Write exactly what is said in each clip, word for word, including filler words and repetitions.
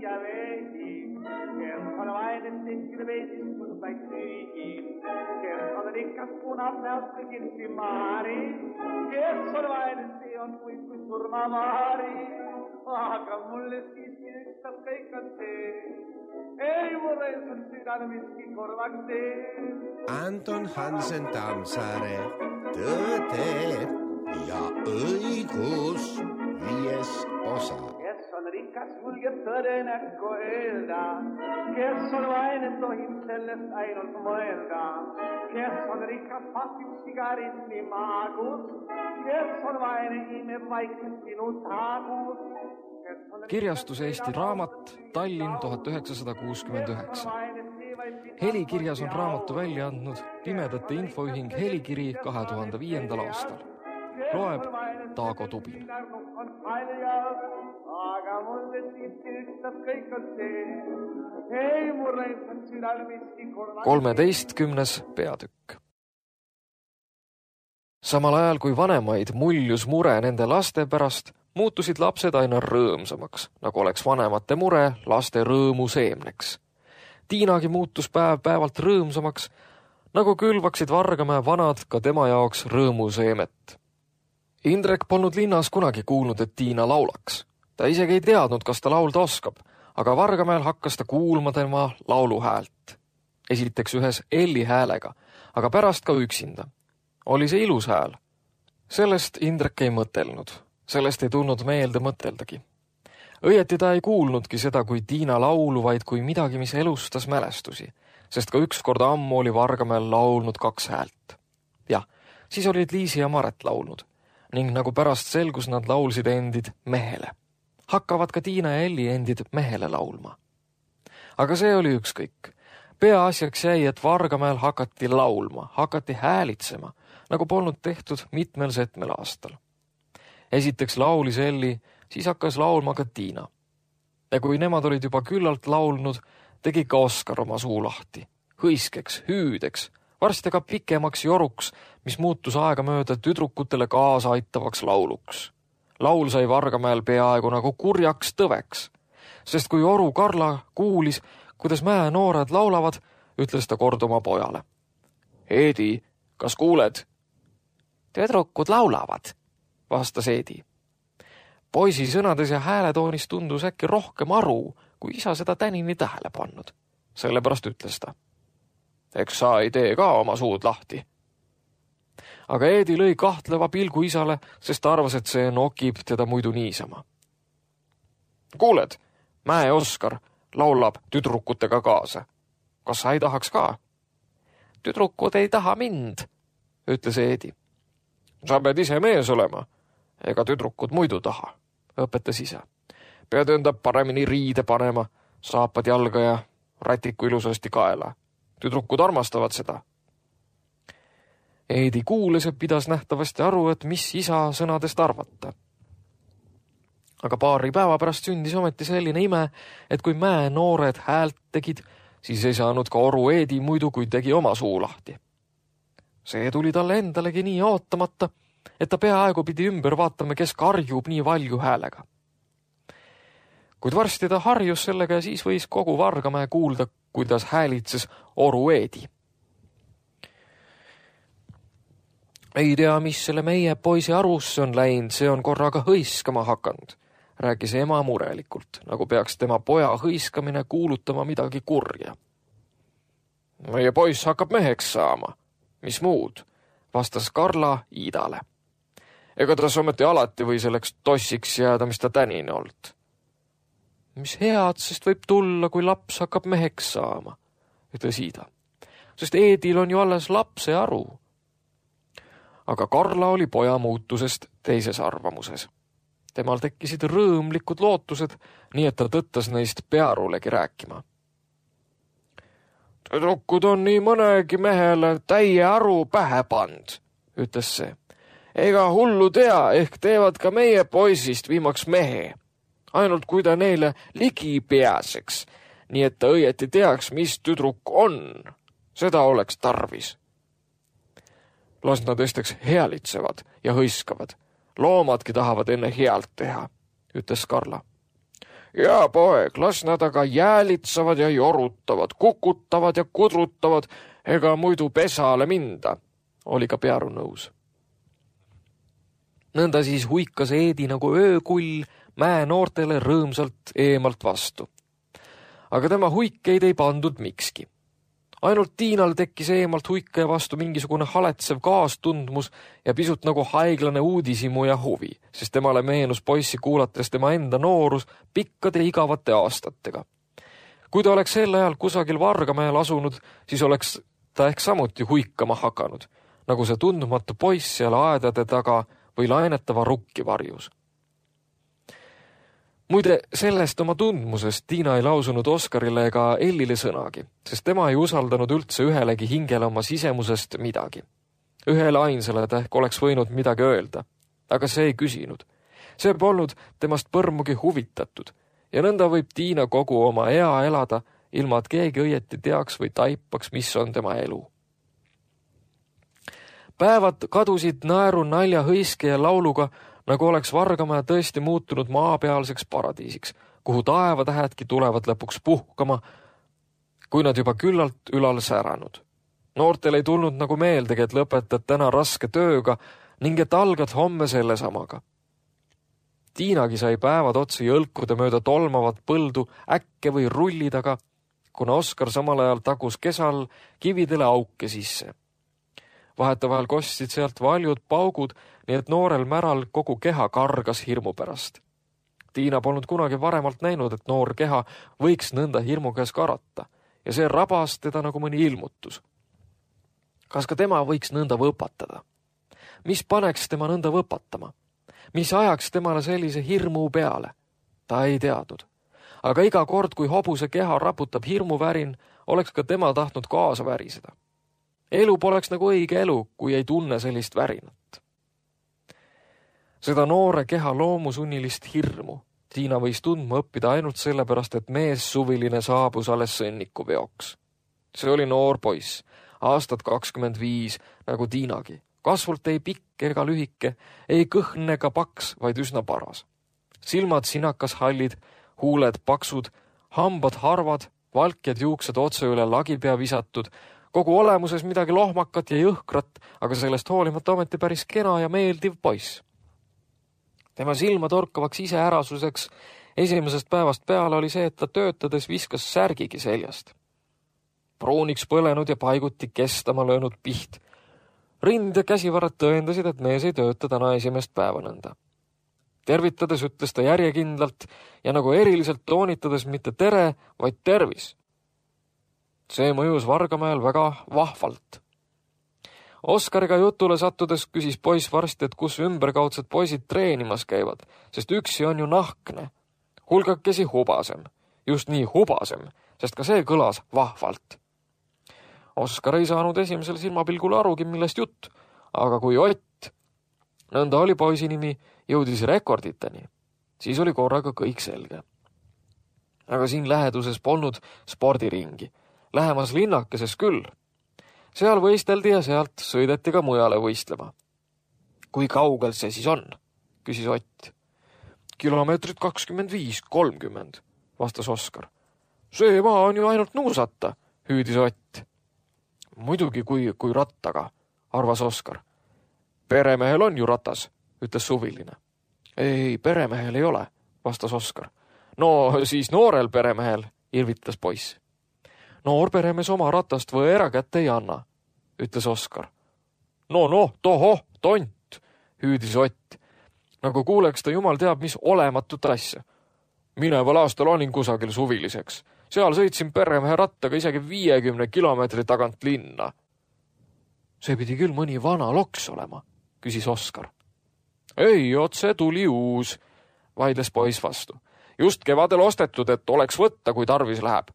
ja veidi, kes on vaine tehkida veidis mõndaid süügi, kes on rikas punab näost kõigilsi maari, kes on vaine see on kuid kui surmamaari, aga mulle siiski ükstas kõik on see, ei mulle on südane miski korvaks see. Anton Hansen Tammsaare, Tõde ja õigus, viies osa. Kes on rikas, julgeb tõde näkku öelda, kes on vaine, tohib sellest ainult mõelda, kes on rikas, pasib sigaretti maagus, kes on vaine, imeb vaikselt sinu taagus. Kirjastus Eesti Raamat, Tallinn tuhat üheksasada kuuskümmend üheksa. Helikirjas on raamatu välja andnud Pimedate Infoühing Helikiri kahe tuhande viiendal aastal. Loeb Taago Tubin. Aga mulle siiski ükstas kõik on see, ei mulle on südal miski korvaks. kolmeteistkümnes peatükk. Samal ajal kui vanemaid muljus mure nende laste pärast, muutusid lapsed aina rõõmsamaks, nagu oleks vanemate mure laste rõõmu seemneks. Tiinagi muutus päev päevalt rõõmsamaks, nagu külvaksid Vargamäe vanad ka tema jaoks rõõmu seemet. Indrek polnud linnas kunagi kuulnud, et Tiina laulaks. Ta isegi ei teadnud, kas ta laulda oskab, aga Vargamäel hakkas ta kuulma tema lauluhäält. Esiteks ühes Elli häälega, aga pärast ka üksinda. Oli see ilus hääl. Sellest Indrek ei mõtelnud. Sellest ei tulnud meelde mõteldagi. Õieti ta ei kuulnudki seda kui Tiina laulu, vaid kui midagi, mis elustas mälestusi, sest ka üks kord ammu oli Vargamäel laulnud kaks häält. Jah, siis olid Liisi ja Maret laulnud, ning nagu pärast selgus, nad laulsid endid mehele. Hakkavad ka Tiina ja Elli endid mehele laulma. Aga see oli ükskõik. Peaasjaks jäi, et Vargamäel hakati laulma, hakati häälitsema, nagu polnud tehtud mitmel setmel aastal. Esiteks laulis Elli, siis hakkas laulma ka Tiina. Ja kui nemad olid juba küllalt laulnud, tegi ka Oskar oma suu lahti. Hõiskeks, hüüdeks, varsti ka pikemaks joruks, mis muutus aega mööda tüdrukutele kaasa aitavaks lauluks. Laul sai Vargamäel peaaegu nagu kurjaks tõveks, sest kui Oru Karla kuulis, kuidas mäe noored laulavad, ütles ta kord oma pojale. Eedi, kas kuuled? Tüdrukud laulavad, vastas Eedi. Poisi sõnades ja hääletoonis tundus äkki rohkem aru, kui isa seda tänini tähele pannud. Sellepärast ütles ta. Eks sa ei tee ka oma suud lahti. Aga Eedi lõi kahtleva pilgu isale, sest ta arvas, et see nokib teda muidu niisama. Kuuled, mäe Oskar laulab tüdrukutega kaasa. Kas sa ei tahaks ka? Tüdrukud ei taha mind, ütles Eedi. Sa pead ise mees olema, ega tüdrukud muidu taha, õpetas isa. Pead enda paremini riide panema, saapad jalga ja rätiku ilusasti kaela. Tüdrukud armastavad seda. Eedi kuules ja pidas nähtavasti aru, et mis isa sõnadest arvata. Aga paari päeva pärast sündis ometi selline ime, et kui mäe noored häält tegid, siis ei saanud ka Oru Eedi muidu, kui tegi oma suu lahti. See tuli talle endalegi nii ootamata, et ta peaaegu pidi ümber vaatama, kes karjub nii valju häälega. Kuid varsti ta harjus sellega ja siis võis kogu Vargamäe kuulda, kuidas häälitses Oru Eedi. Ei tea, mis selle meie poisi arusse on läinud, see on korraga hõiskama hakanud, rääkis ema murelikult, nagu peaks tema poja hõiskamine kuulutama midagi kurja. Meie poiss hakkab meheks saama. Mis muud, vastas Karla Iidale. Ega ta ometi alati või selleks tossiks jääda, mis ta tänini olnud. Mis head, sest võib tulla, kui laps hakkab meheks saama, ütles Iida. Sest Eedil on ju alles lapse aru. Aga Karla oli poja muutusest teises arvamuses. Temal tekkisid rõõmlikud lootused, nii et ta tõttas neist pearulegi rääkima. Tüdrukud on nii mõnegi mehele täie aru pähe pand, ütles see. Ega hullu tea, ehk teevad ka meie poisist viimaks mehe. Ainult kui ta neile ligi peaseks, nii et ta õieti teaks, mis tüdruk on. Seda oleks tarvis. Las nad esteks healitsevad ja hõiskavad. Loomadki tahavad enne healt teha, ütles Karla. Ja poeg, las nad aga jäälitsavad ja jorutavad, kukutavad ja kudrutavad, ega muidu pesale minda, oli ka Pearu nõus. Nõnda siis huikas Eedi nagu öökull mäe noortele rõõmsalt eemalt vastu. Aga tema huikeid ei pandud mikski. Ainult Tiinal tekkis eemalt huikaja vastu mingisugune haletsev kaastundmus ja pisut nagu haiglane uudisimu ja huvi, sest temale meenus poissi kuulates tema enda noorus pikkade igavate aastatega. Kui ta oleks sel ajal kusagil Vargamäel asunud, siis oleks ta ehk samuti huikama hakanud, nagu see tundmatu poiss seal aedade taga või lainetava rukki varjus. Muide, sellest oma tundmusest Tiina ei lausunud Oskarile ega Ellile sõnagi, sest tema ei usaldanud üldse ühelegi hingele oma sisemusest midagi. Ühele ainsale ta ehk oleks võinud midagi öelda, aga see ei küsinud. See polnud temast põrmugi huvitatud ja nõnda võib Tiina kogu oma ea elada, ilma et keegi õieti teaks või taipaks, mis on tema elu. Päevad kadusid naeru, nalja, hõiske ja lauluga, nagu oleks Vargamäe tõesti muutunud maapealseks paradiisiks, kuhu taevatähedki tulevad lõpuks puhkama, kui nad juba küllalt ülal säranud. Noortel ei tulnud nagu meeldegi, et lõpetad täna raske tööga ning et algad homme selle samaga. Tiinagi sai päevad otsi jõlkude mööda tolmavat põldu äkke või rulli taga, kuna Oskar samal ajal tagus kesal kividele auke sisse. Vahetavahel kostsid sealt valjud paugud, nii et noorel märal kogu keha kargas hirmu pärast. Tiina polnud kunagi varemalt näinud, et noor keha võiks nõnda hirmu käes karata ja see rabas teda nagu mõni ilmutus. Kas ka tema võiks nõnda võpatada? Mis paneks tema nõnda võpatama? Mis ajaks temale sellise hirmu peale? Ta ei teadnud. Aga iga kord, kui hobuse keha raputab hirmuvärin, oleks ka tema tahtnud kaasa väriseda. Elu poleks nagu õige elu, kui ei tunne sellist värinat. Seda noore keha loomusunnilist hirmu Tiina võis tundma õppida ainult sellepärast, et mees suviline saabus alles sõnniku veoks. See oli noor poiss, aastat kakskümmend viis, nagu Tiinagi. Kasvult ei pikk ega lühike, ei kõhn ega paks, vaid üsna paras. Silmad sinakas hallid, huuled paksud, hambad harvad, valkjad juuksed otse üle lagipea visatud, kogu olemuses midagi lohmakat ja jõhkrat, aga sellest hoolimata ometi päris kena ja meeldiv poiss. Tema silma torkavaks iseärasuseks esimesest päevast peale oli see, et ta töötades viskas särgigi seljast. Pruuniks põlenud ja paiguti kestama löönud piht. Rind ja käsivarad tõendasid, et mees ei tööta täna esimest päeva nõnda. Tervitades ütles ta järjekindlalt ja nagu eriliselt toonitades mitte tere, vaid tervis. See mõjus Vargamäel väga vahvalt. Oskariga jutule sattudes küsis poiss varsti, et kus ümberkaudsed poisid treenimas käivad, sest üksi on ju nahkne. Hulgakesi hubasem, just nii hubasem, sest ka see kõlas vahvalt. Oskar ei saanud esimesel silmapilgul arugi, millest jutt, aga kui Ott, nõnda oli poisi nimi, jõudis rekorditeni, siis oli korraga kõik selge. Aga siin läheduses polnud spordiringi, lähemas linnakeses küll. Seal võisteldi ja sealt sõideti ka mujale võistlema. Kui kaugel see siis on? Küsis Ott. Kilomeetrit kakskümmend viis, kolmkümmend, vastas Oskar. See maa on ju ainult nuusata, hüüdis Ott. Muidugi kui, kui rattaga, arvas Oskar. Peremehel on ju ratas, ütles suviline. Ei, peremehel ei ole, vastas Oskar. No siis noorel peremehel, irvitas poiss. Noor peremees oma ratast või erakätte ei anna, ütles Oskar. No, no, toho, tont, hüüdis Ott. Nagu kuuleks ta jumal teab, mis olematut asja. Mineval aastal olin kusagil suviliseks. Seal sõitsin peremehe rattaga isegi viiekümne kilomeetri tagant linna. See pidi küll mõni vana loks olema, küsis Oskar. Ei, otse tuli uus, vaidles poiss vastu. Just kevadel ostetud, et oleks võtta, kui tarvis läheb.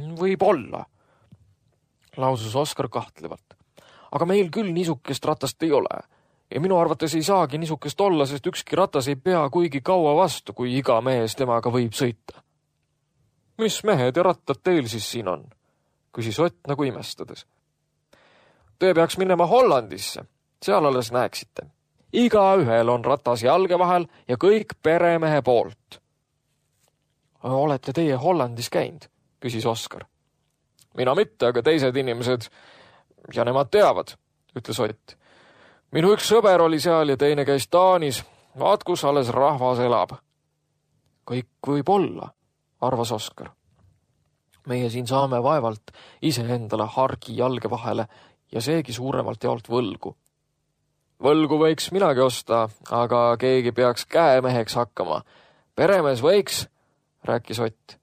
Võib olla, lausus Oskar kahtlevalt. Aga meil küll niisukest ratast ei ole. Ja minu arvates ei saagi niisukest olla, sest ükski ratas ei pea kuigi kaua vastu, kui iga mees temaga võib sõita. Mis mehed ja rattad teil siis siin on? Küsis Ott nagu imestades. Te peaks minema Hollandisse, seal alles näeksite. Iga ühel on ratas jalge vahel ja kõik peremehe poolt. olete teie Hollandis käinud, küsis Oskar. Mina mitte, aga teised inimesed ja nemad teavad, ütles Ott. Minu üks sõber oli seal ja teine käis Taanis. Vaat, kus alles rahvas elab. Kõik võib olla, arvas Oskar. Meie siin saame vaevalt ise endale hargi jalge vahele ja seegi suuremalt jaolt võlgu. Võlgu võiks minagi osta, aga keegi peaks käemeheks hakkama. Peremees võiks, rääkis Ott.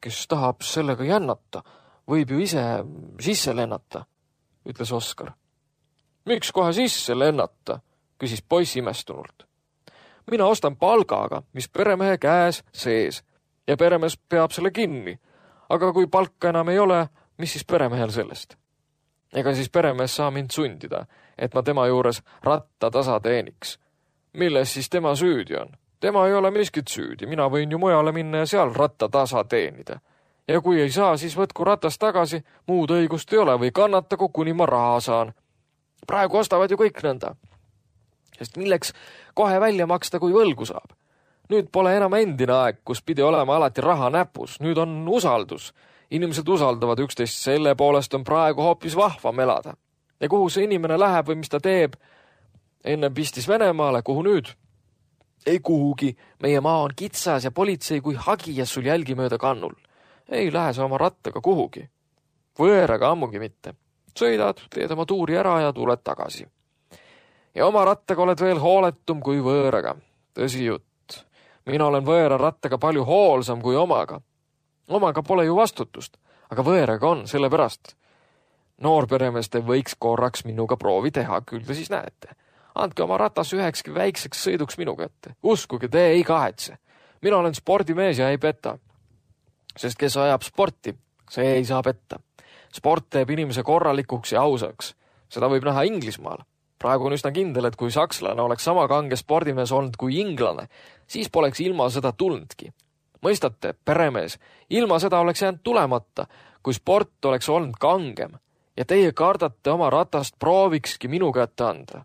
Kes tahab sellega jännata, võib ju ise sisse lennata, ütles Oskar. Miks kohe sisse lennata, küsis poiss imestunult. Mina ostan palgaga, mis peremehe käes sees ja peremees peab selle kinni. Aga kui palka enam ei ole, mis siis peremehel sellest? Ega siis peremees saa mind sundida, et ma tema juures ratta tasa teeniks. Milles siis tema süüdi on? Tema ei ole miskit süüdi, mina võin ju mujale minna ja seal ratta tasa teenida. Ja kui ei saa, siis võtku ratast tagasi, muud õigust ei ole või kannatagu, kuni ma raha saan. Praegu ostavad ju kõik nõnda. Sest milleks kohe välja maksta, kui võlgu saab? Nüüd pole enam endine aeg, kus pidi olema alati raha näpus. Nüüd on usaldus. Inimesed usaldavad üksteist, selle poolest on praegu hoopis vahvam elada. Ja kuhu see inimene läheb või mis ta teeb? Enne pistis Venemaale, kuhu nüüd? Ei kuhugi. Meie maa on kitsas ja politsei kui hagijas sul jälgi mööda kannul. Ei lähe sa oma rattaga kuhugi. Võõraga ammugi mitte. Sõidad, teed oma tuuri ära ja tuled tagasi. Ja oma rattaga oled veel hooletum kui võõraga. Tõsi jutt. Mina olen võõra rattaga palju hoolsam kui omaga. Omaga pole ju vastutust, aga võõraga on, sellepärast. Noorperemeeste võiks korraks minuga proovi teha, küll te siis näete. Andke oma ratas ühekski väikseks sõiduks minu kätte. Uskuge, te ei kahetse. Mina olen spordimees ja ei peta. Sest kes ajab sporti, see ei saa petta. Sport teeb inimese korralikuks ja ausaks. Seda võib näha Inglismaal. Praegu on üsna kindel, et kui sakslane oleks sama kange spordimees olnud kui inglane, siis poleks ilma seda tulnudki. Mõistate, peremees, ilma seda oleks jäänud tulemata, kui sport oleks olnud kangem ja teie kardate oma ratast proovikski minu kätte anda.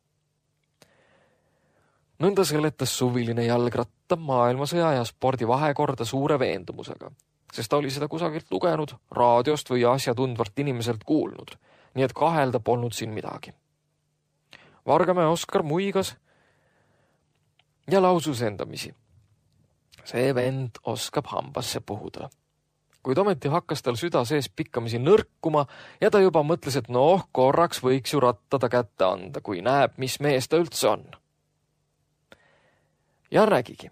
Nõnda seletas suviline jalgratta maailmasõja ja spordi vahekorda suure veendumusega, sest ta oli seda kusagilt lugenud, raadiost või asjatundvalt inimeselt kuulnud, nii et kahelda polnud siin midagi. Vargamäe Oskar muigas ja lausus endamisi. See vend oskab hambasse puhuda. Kuid ometi hakkas tal süda sees pikkamisi nõrkuma ja ta juba mõtles, et noh, korraks võiks ju rattada kätte anda, kui näeb, mis mees ta üldse on. Ja nägigi.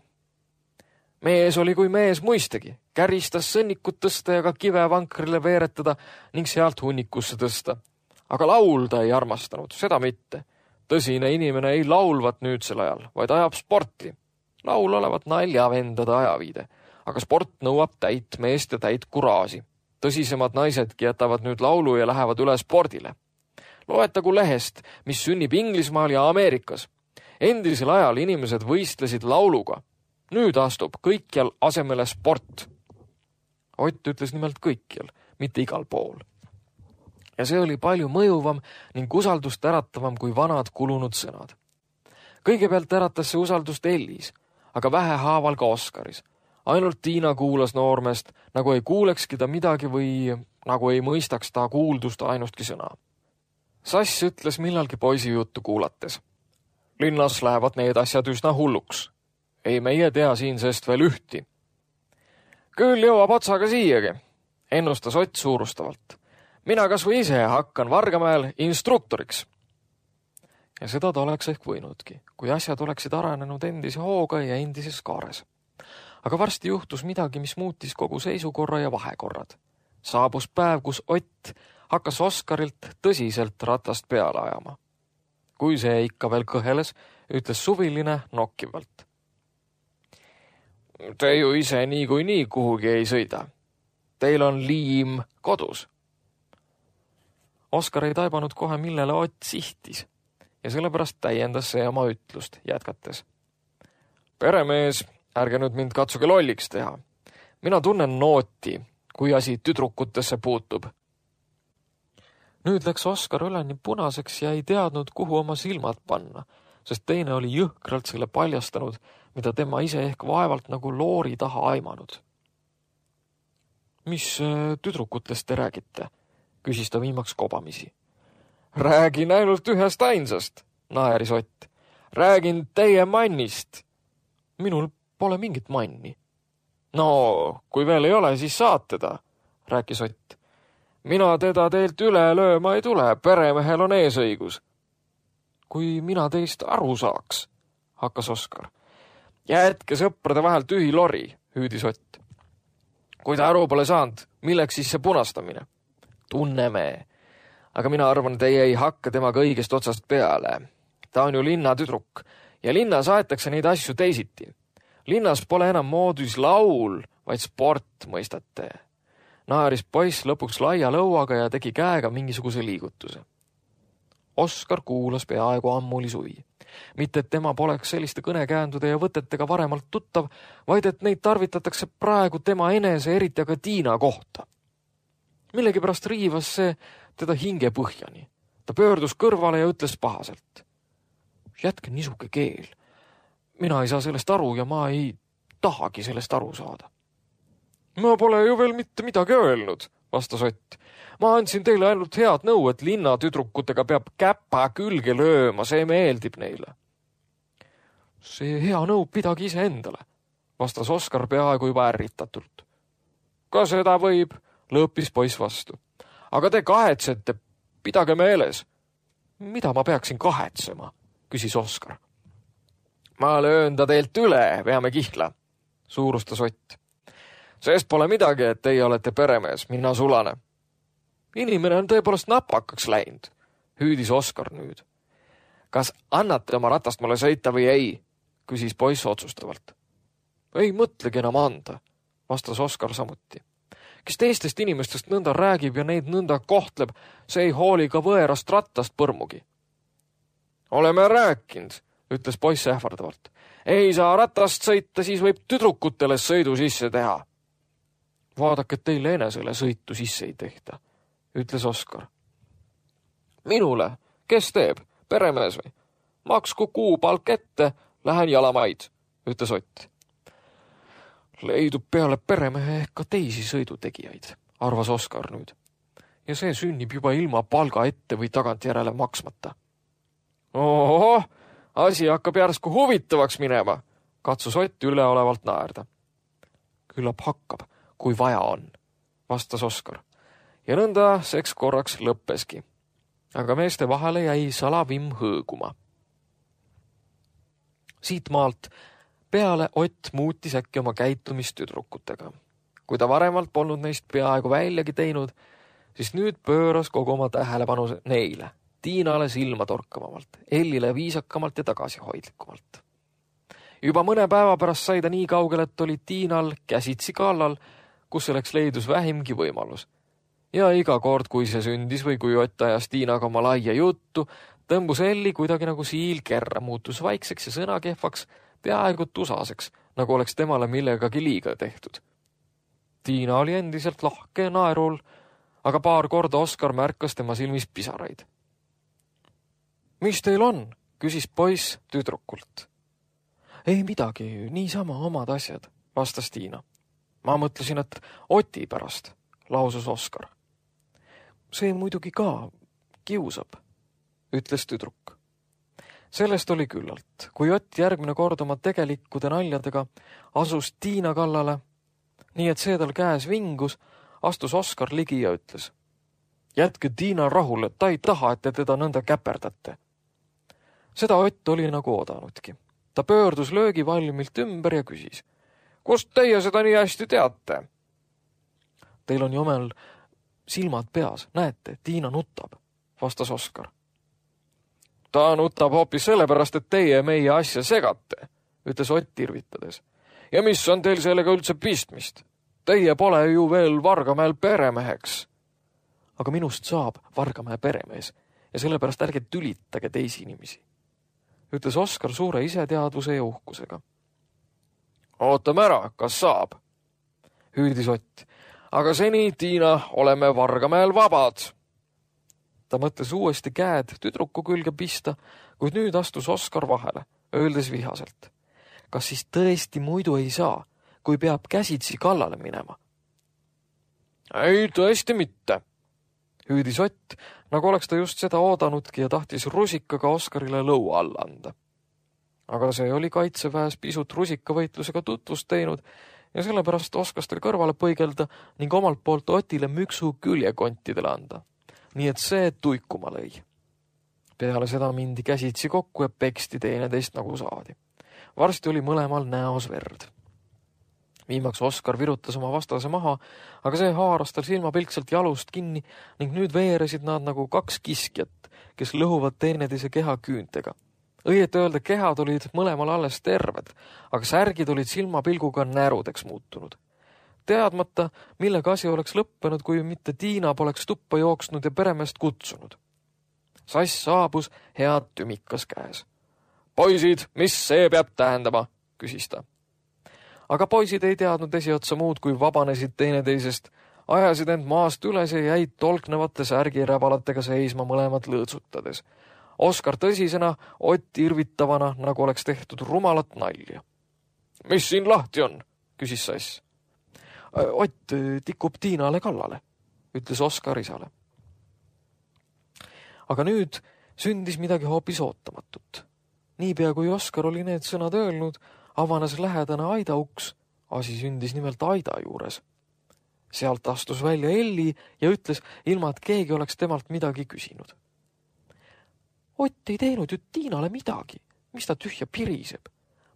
Mees oli kui mees muistegi, käristas sõnnikut tõsta ja ka kive vankrile veeretada ning sealt hunnikusse tõsta. Aga laulda ei armastanud, seda mitte. Tõsine inimene ei laulvat nüüdsel ajal, vaid ajab sporti. Laul olevat naljavendade ajaviide, aga sport nõuab täit meest ja täit kuraasi. Tõsisemad naisedki jätavad nüüd laulu ja lähevad üle spordile. Loetagu lehest, mis sünnib Inglismaal ja Ameerikas. Endisel ajal inimesed võistlesid lauluga. Nüüd astub kõikjal asemele sport. Ott ütles nimelt kõikjal, mitte igal pool. Ja see oli palju mõjuvam ning usaldust äratavam kui vanad kulunud sõnad. Kõigepealt äratas see usaldust Ellis, aga vähehaaval ka Oskaris. Ainult Tiina kuulas noormest, nagu ei kuulekski ta midagi või nagu ei mõistaks ta kuuldust ainustki sõna. Sass ütles millalgi poisi juttu kuulates. Linnas lähevad need asjad üsna hulluks. Ei meie tea siin sest veel ühti. Küll jõuab otsaga siiagi, ennustas Ott suurustavalt. Mina kas või ise hakkan Vargamäel instruktoriks. Ja seda ta oleks ehk võinudki, kui asjad oleksid arenenud endise hooga ja endises kaares. Aga varsti juhtus midagi, mis muutis kogu seisukorra ja vahekorrad. Saabus päev, kus Ott hakkas Oskarilt tõsiselt ratast peale ajama. Kui see ikka veel kõheles, ütles suviline nokkivalt. Te ju ise nii kui nii kuhugi ei sõida. Teil on liim kodus. Oskar ei taibanud kohe, millele Ott sihtis ja sellepärast täiendas see oma ütlust jätkates. Peremees, ärge nüüd mind katsuge lolliks teha. Mina tunnen nooti, kui asi tüdrukutesse puutub. Nüüd läks Oskar üleni punaseks ja ei teadnud, kuhu oma silmad panna, sest teine oli jõhkralt selle paljastanud, mida tema ise ehk vaevalt nagu loori taha aimanud. Mis tüdrukutest te räägite? Küsis ta viimaks kobamisi. Räägin ainult ühest ainsast, naeris Ott. Räägin teie mannist. Minul pole mingit manni. No, kui veel ei ole, siis saad teda, rääkis Ott. Mina teda teilt üle lööma ei tule, peremehel on eesõigus. Kui mina teist aru saaks, hakkas Oskar. Jätke sõprade vahel tühi lori, hüüdis Ott. Kui ta aru pole saanud, milleks siis see punastamine? Tunneme. Aga mina arvan, teie ei hakka temaga õigest otsast peale. Ta on ju linnatüdruk ja linnas aetakse neid asju teisiti. Linnas pole enam moodus laul, vaid sport, mõistate. Naaris poiss lõpuks laia lõuaga ja tegi käega mingisuguse liigutuse. Oskar kuulas peaaegu ammuli suvi. Mitte, et tema poleks selliste kõnekäändude ja võtetega varemalt tuttav, vaid et neid tarvitatakse praegu tema enese, eriti aga Tiina kohta. Millegipärast riivas see teda hinge põhjani. Ta pöördus kõrvale ja ütles pahaselt. Jätke nisuke keel. Mina ei saa sellest aru ja ma ei tahagi sellest aru saada. Ma pole ju veel mitte midagi öelnud, vastas Ott. Ma andsin teile ainult head nõu, et linnatüdrukutega peab käpa külge lööma, see meeldib neile. See hea nõu pidagi ise endale, vastas Oskar peaaegu juba ärritatult. Ka seda võib, lõõpis poiss vastu. Aga te kahetsete, pidage meeles. Mida ma peaksin kahetsema, küsis Oskar. Ma löön ta teilt üle, veame kihla, suurustas Ott. Sest pole midagi, et teie olete peremees, mina sulane. Inimene on tõepoolest napakaks läinud, hüüdis Oskar nüüd. Kas annate oma ratast mulle sõita või ei, küsis poiss otsustavalt. Ei mõtlegi enam anda, vastas Oskar samuti. Kes teistest inimestest nõnda räägib ja neid nõnda kohtleb, see ei hooli ka võerast rattast põrmugi. Oleme rääkinud, ütles poiss ähvardavalt. Ei saa ratast sõita, siis võib tüdrukutele sõidu sisse teha. Vaadake, et teile enesele sõitu sisse ei tehta, ütles Oskar. Minule, kes teeb, peremees või? Maksku kuupalk ette, lähen jalamaid, ütles Ott. Leidub peale peremehe ehk ka teisi sõidutegijaid, arvas Oskar nüüd. Ja see sünnib juba ilma palga ette või tagantjärele maksmata. Ohoh, asi hakkab järsku huvitavaks minema, katsus Ott üleolevalt naerda. Küllap hakkab, kui vaja on, vastas Oskar. Ja nõnda seks korraks lõppeski. Aga meeste vahele jäi salavimm hõõguma. Siit maalt peale Ott muutis äkki oma käitumist tüdrukutega. Kui ta varemalt polnud neist peaaegu väljagi teinud, siis nüüd pööras kogu oma tähelepanu neile, Tiinale silma torkamavalt, Ellile viisakamalt ja tagasihoidlikumalt. Juba mõne päeva pärast sai ta nii kaugel, et oli Tiinal käsitsi kallal, kus selleks leidus vähimgi võimalus. Ja iga kord, kui see sündis või kui Ott ajas Tiinaga oma laia juttu, tõmbus Elli kuidagi nagu siil kerra, muutus vaikseks ja sõnakehvaks, peaaegu tusaseks, nagu oleks temale millegagi liiga tehtud. Tiina oli endiselt lahke naerul, aga paar korda Oskar märkas tema silmis pisaraid. Mis teil on? Küsis poiss tüdrukult. Ei midagi, niisama omad asjad, vastas Tiina. Ma mõtlesin, et Oti pärast, lausus Oskar. See muidugi ka kiusab, ütles tüdruk. Sellest oli küllalt, kui Ott järgmine kord oma tegelikkude naljadega asus Tiina kallale, nii et see tal käes vingus, astus Oskar ligi ja ütles. Jätke Tiina rahule, et ta ei taha, et te teda nõnda käperdate. Seda Ott oli nagu oodanudki. Ta pöördus löögivalmilt ümber ja küsis. Kust teie seda nii hästi teate? Teil on jomel silmad peas, näete, Tiina nutab, vastas Oskar. Ta nutab hoopis sellepärast, et teie meie asja segate, ütles Ott irvitades. Ja mis on teil sellega üldse pistmist? Teie pole ju veel Vargamäel peremeheks. Aga minust saab Vargamäe peremees ja sellepärast ärge tülitage teisi inimesi, ütles Oskar suure iseteadvuse ja uhkusega. Ootame ära, kas saab, hüüdis Ott. Aga seni, Tiina, oleme Vargamäel vabad. Ta mõtles uuesti käed tüdruku külge pista, kuid nüüd astus Oskar vahele, öeldes vihaselt. Kas siis tõesti muidu ei saa, kui peab käsitsi kallale minema? Ei, tõesti mitte, hüüdis Ott, nagu oleks ta just seda oodanudki ja tahtis rusikaga Oskarile lõua alla anda. Aga see oli kaitseväes pisut rusikavõitlusega tutvust teinud ja sellepärast oskas tal kõrvale põigelda ning omalt poolt Otile müksu küljekontidele anda. Nii et see tuikuma lõi. Peale seda mindi käsitsi kokku ja peksti teineteist nagu saadi. Varsti oli mõlemal näos verd. Viimaks Oskar virutas oma vastase maha, aga see haaras tal silmapilkselt jalust kinni ning nüüd veeresid nad nagu kaks kiskjat, kes lõhuvad teineteise keha küüntega. Õieti öelda kehad olid mõlemal alles terved, aga särgid olid silmapilguga närudeks muutunud. Teadmata, millega asi oleks lõppenud, kui mitte Tiina poleks tuppa jooksnud ja peremeest kutsunud. Sass saabus head tümikas käes. Poisid, mis see peab tähendama, küsis ta. Aga poisid ei teadnud esiotsa muud, kui vabanesid teineteisest, ajasid end maast üles ja jäid tolknevate särgiräbalatega seisma mõlemad lõõtsutades. Oskar tõsisena, Ott irvitavana, nagu oleks tehtud rumalat nalja. Mis siin lahti on, küsis Sass. Ott tikub Tiinale kallale, ütles Oskar isale. Aga nüüd sündis midagi hoopis ootamatut. Niipea kui Oskar oli need sõnad öelnud, avanes lähedane aida uks. Asi sündis nimelt aida juures. Sealt astus välja Elli ja ütles, ilma et keegi oleks temalt midagi küsinud. Ott ei teinud ju Tiinale midagi. Mis ta tühja piriseb?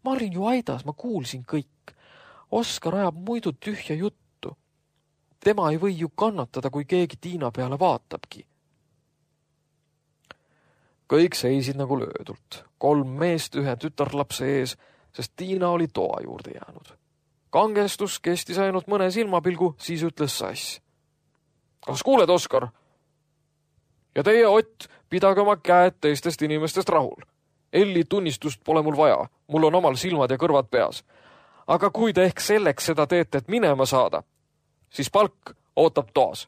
Ma olin ju aidas, ma kuulsin kõik. Oskar ajab muidu tühja juttu. Tema ei või ju kannatada, kui keegi Tiina peale vaatabki. Kõik seisid nagu löödult. Kolm meest ühe tütarlapse ees, sest Tiina oli toa juurde jäänud. Kangestus kestis ainult mõne silmapilgu, siis ütles Sass. Kas kuuled, Oskar? Ja teie, Ott, pidage oma käed teistest inimestest rahul. Elli tunnistust pole mul vaja, mul on omal silmad ja kõrvad peas. Aga kui te ehk selleks seda teete, et minema saada, siis palk ootab toas.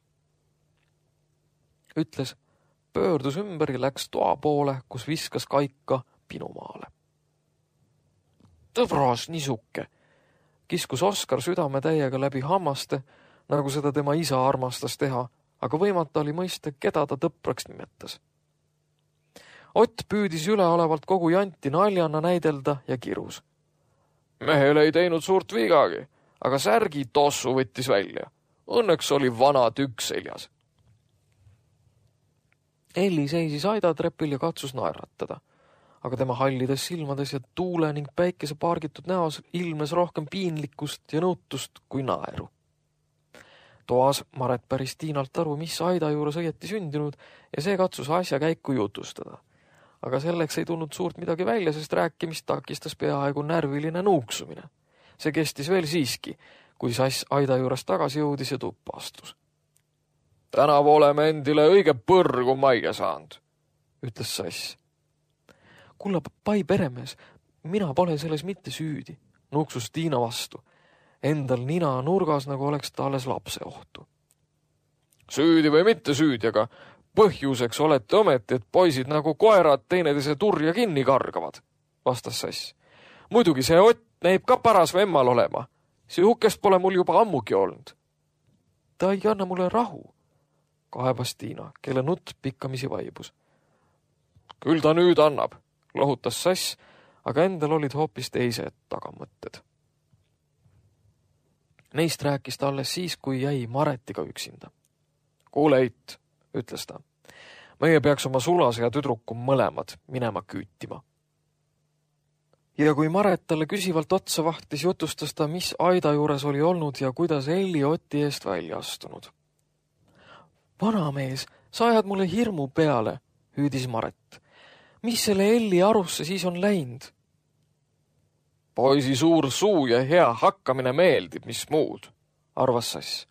Ütles, pöördus ümber ja läks toa poole, kus viskas kaika pinumaale. Tõbras nisuke, kiskus Oskar südame täiega läbi hammaste, nagu seda tema isa armastas teha, aga võimata oli mõista, keda ta tõpraks nimetas. Ott püüdis üleolevalt kogu janti naljana näidelda ja kirus. Mehel ei teinud suurt vigagi, aga särgi tossu võttis välja. Õnneks oli vana tükk seljas. Elli seisis aidatrepil ja katsus naeratada, aga tema hallides silmades ja tuule ning päikese pargitud näos ilmes rohkem piinlikkust ja nõutust kui naeru. Toas Maret päris Tiinalt aru, mis aida juures õieti sündinud ja see katsus asja käiku jutustada. Aga selleks ei tulnud suurt midagi välja, sest rääkimist takistas peaaegu närviline nuuksumine. See kestis veel siiski, kui Sass aida juures tagasi jõudis ja tuppa astus. Tänavu oleme endile õige põrgu majja saanud, ütles Sass. Kulla pai peremees, mina pole selles mitte süüdi, nuuksus Tiina vastu. Endal nina nurgas, nagu oleks ta alles lapse ohtu. Süüdi või mitte süüdi, aga põhjuseks olete ometi, et poisid nagu koerad teineteise turja kinni kargavad, vastas Sass. Muidugi see Ott näib ka paras vemmal olema. Sihukest pole mul juba ammugi olnud. Ta ei anna mulle rahu, kaebas Tiina, kelle nutt pikkamisi vaibus. Küll ta nüüd annab, lohutas Sass, aga endal olid hoopis teised tagamõtted. Neist rääkis ta alles siis, kui jäi Maretiga üksinda. Kuule, Eit, ütles ta. Meie peaks oma sulase ja tüdruku mõlemad minema küütima. Ja kui Maret talle küsivalt otsa vahtis, jutustas ta, mis aida juures oli olnud ja kuidas Elli Oti eest välja astunud. Vanamees, sa ajad mulle hirmu peale, hüüdis Maret. Mis selle Elli arusse siis on läinud? Poisi suur suu ja hea hakkamine meeldib, mis muud, arvas Sass.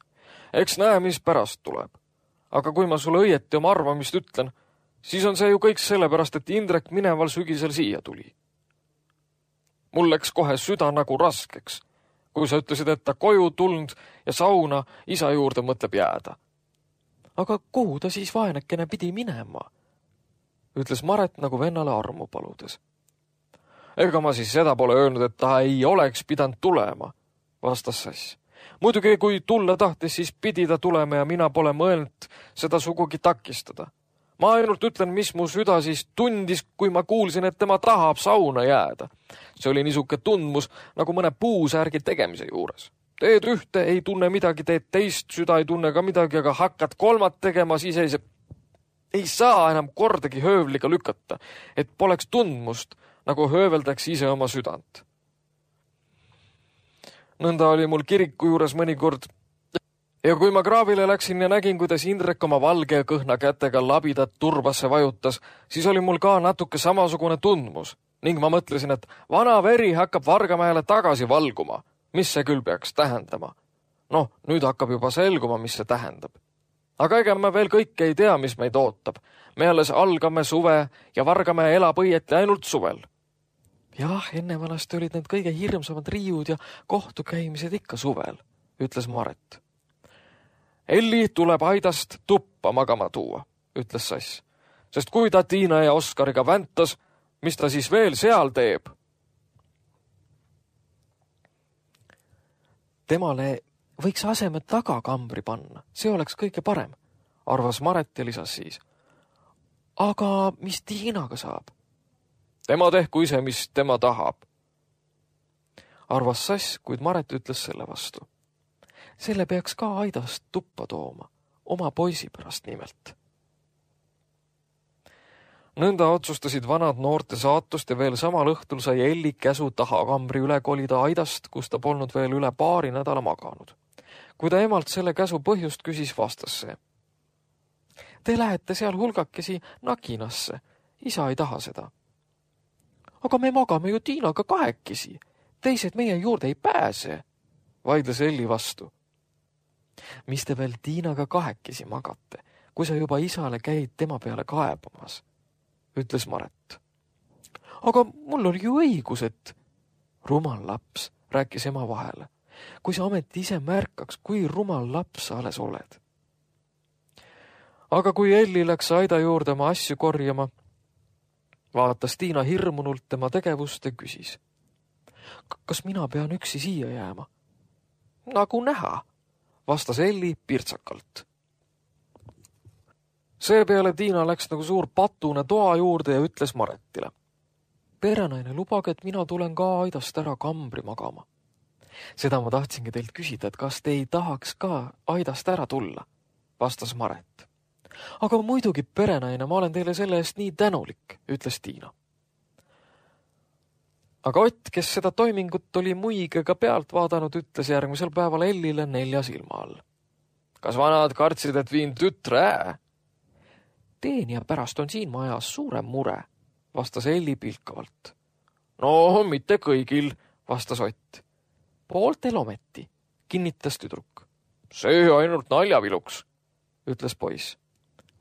Eks näe, mis pärast tuleb. Aga kui ma sulle õieti oma arvamist ütlen, siis on see ju kõik sellepärast, et Indrek mineval sügisel siia tuli. Mul läks kohe süda nagu raskeks, kui sa ütlesid, et ta koju tulnud ja sauna isa juurde mõtleb jääda. aga kuhu ta siis vaenekene pidi minema? Ütles Maret nagu vennale armu paludes. Ega ma siis seda pole öelnud, et ta ei oleks pidanud tulema, vastas Sass. Muidugi, kui tulla tahtis, siis pidi ta tulema ja mina pole mõelnud seda sugugi takistada. Ma ainult ütlen, mis mu süda siis tundis, kui ma kuulsin, et tema tahab sauna jääda. See oli niisuke tundmus nagu mõne puusärgi tegemise juures. Teed ühte, ei tunne midagi, teed teist, süda ei tunne ka midagi, aga hakkad kolmat tegema, siis ei, ei saa enam kordagi höövliga lükata, et poleks tundmust, nagu hööveldaks ise oma südant. Nõnda oli mul kiriku juures mõnikord. Ja kui ma kraavile läksin ja nägin, kuidas Indrek oma valge ja kõhna kätega labidat turbasse vajutas, siis oli mul ka natuke samasugune tundmus ning ma mõtlesin, et vana veri hakkab Vargamäele tagasi valguma. Mis see küll peaks tähendama? Noh, nüüd hakkab juba selguma, mis see tähendab. Aga ega me veel kõike ei tea, mis meid ootab. Me alles algame suve ja Vargamäe elab õieti ainult suvel. Jah, enne vanasti olid need kõige hirmsamad riiud ja kohtukäimised ikka suvel, ütles Maret. Elli tuleb aidast tuppa magama tuua, ütles Sass. Sest kui ta Tiina ja Oskariga väntas, mis ta siis veel seal teeb? Temale võiks asemed taga kambri panna, see oleks kõige parem, arvas Maret ja lisas siis. Aga mis Tiinaga saab? Tema tehku ise, mis tema tahab, arvas Sass, kuid Maret ütles selle vastu. Selle peaks ka aidast tuppa tooma, oma poisi pärast nimelt. Nõnda otsustasid vanad noorte saatust ja veel samal õhtul sai Elli käsu taha kambri üle kolida aidast, kus ta polnud veel üle paari nädala maganud. Kui ta emalt selle käsu põhjust küsis, vastas see. Te lähete seal hulgakesi nakinasse, isa ei taha seda. Aga me magame ju Tiinaga kahekesi, teised meie juurde ei pääse, vaidles Elli vastu. Mis te veel Tiinaga kahekesi magate, kui sa juba isale käid tema peale kaebamas, ütles Maret. Aga mul oli ju õigus, et rumal laps, rääkis ema vahele. Kui sa ometi ise märkaks, kui rumal laps sa alles oled. Aga kui Elli läks aida juurde oma asju korjama, vaatas Tiina hirmunult tema tegevust ja küsis. Kas mina pean üksi siia jääma? Nagu näha, vastas Elli pirtsakalt. Seepeale Tiina läks nagu suur patune toa juurde ja ütles Maretile. Perenaine, lubage, et mina tulen ka aidast ära kambri magama. Seda ma tahtsingi teilt küsida, et kas te ei tahaks ka aidast ära tulla, vastas Maret. Aga muidugi, perenaine, ma olen teile selle eest nii tänulik, ütles Tiina. Aga Ott, kes seda toimingut oli muigega pealt vaadanud, ütles järgmisel päeval Ellile nelja silma all. Kas vanad kartsid, et viin tütre ää? Teenija pärast on siin majas suurem mure, vastas Elli pilkavalt. No, mitte kõigil, vastas Ott. Pooltel ometi, kinnitas tüdruk. See ainult naljaviluks, ütles poiss.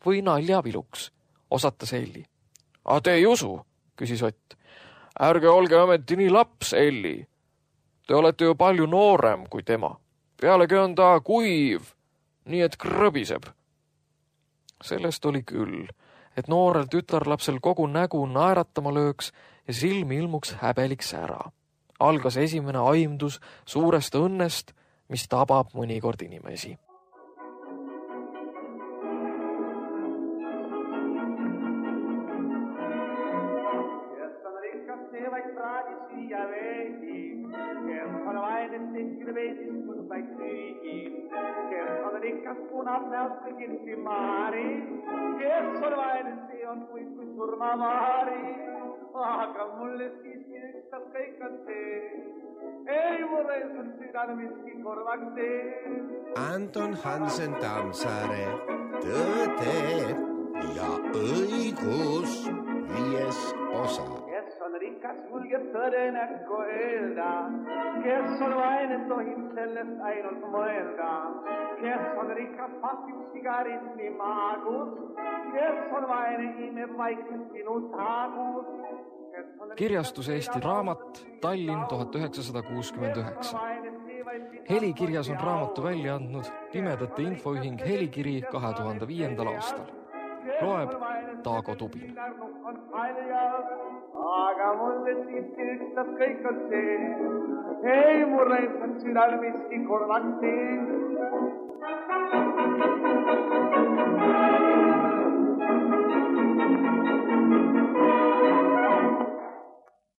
Või naljaviluks, osatas Elli. A te ei usu, küsis Ott. Ärge olge ometi nii laps, Elli. Te olete ju palju noorem kui tema. Pealegi on ta kuiv, nii et krõbiseb. Sellest oli küll, et noorel tütarlapsel kogu nägu naeratama lööks ja silmi ilmuks häbeliks ära. Algas esimene aimdus suurest õnnest, mis tabab mõnikord inimesi. Kas punab näosta kinti maari, kes on vainesti on kuid kui surmamaari, aga mulle siiski ükstas kõik on see, ei mulle sun südane miski korvaks tee. Anton Hansen Tammsaare, Tõde ja õigus, viies osa. Kes on rikas, julgeb tõde näkku öelda, kes on vaine, tohib sellest ainult mõelda. Kes on rikas, pasib sigaretti maagus, kes on vaine, imeb vaikselt sinu taagus. Kirjastus Eesti Raamat, Tallinn tuhat üheksasada kuuskümmend üheksa. Helikirjas on raamatu välja andnud Pimedate infoühing Helikiri kahe tuhande viiendal aastal. Loeb Taago Tubin. Aga mulle siiski ükstas kõik on see, ei murre, et südal miski korvaks see.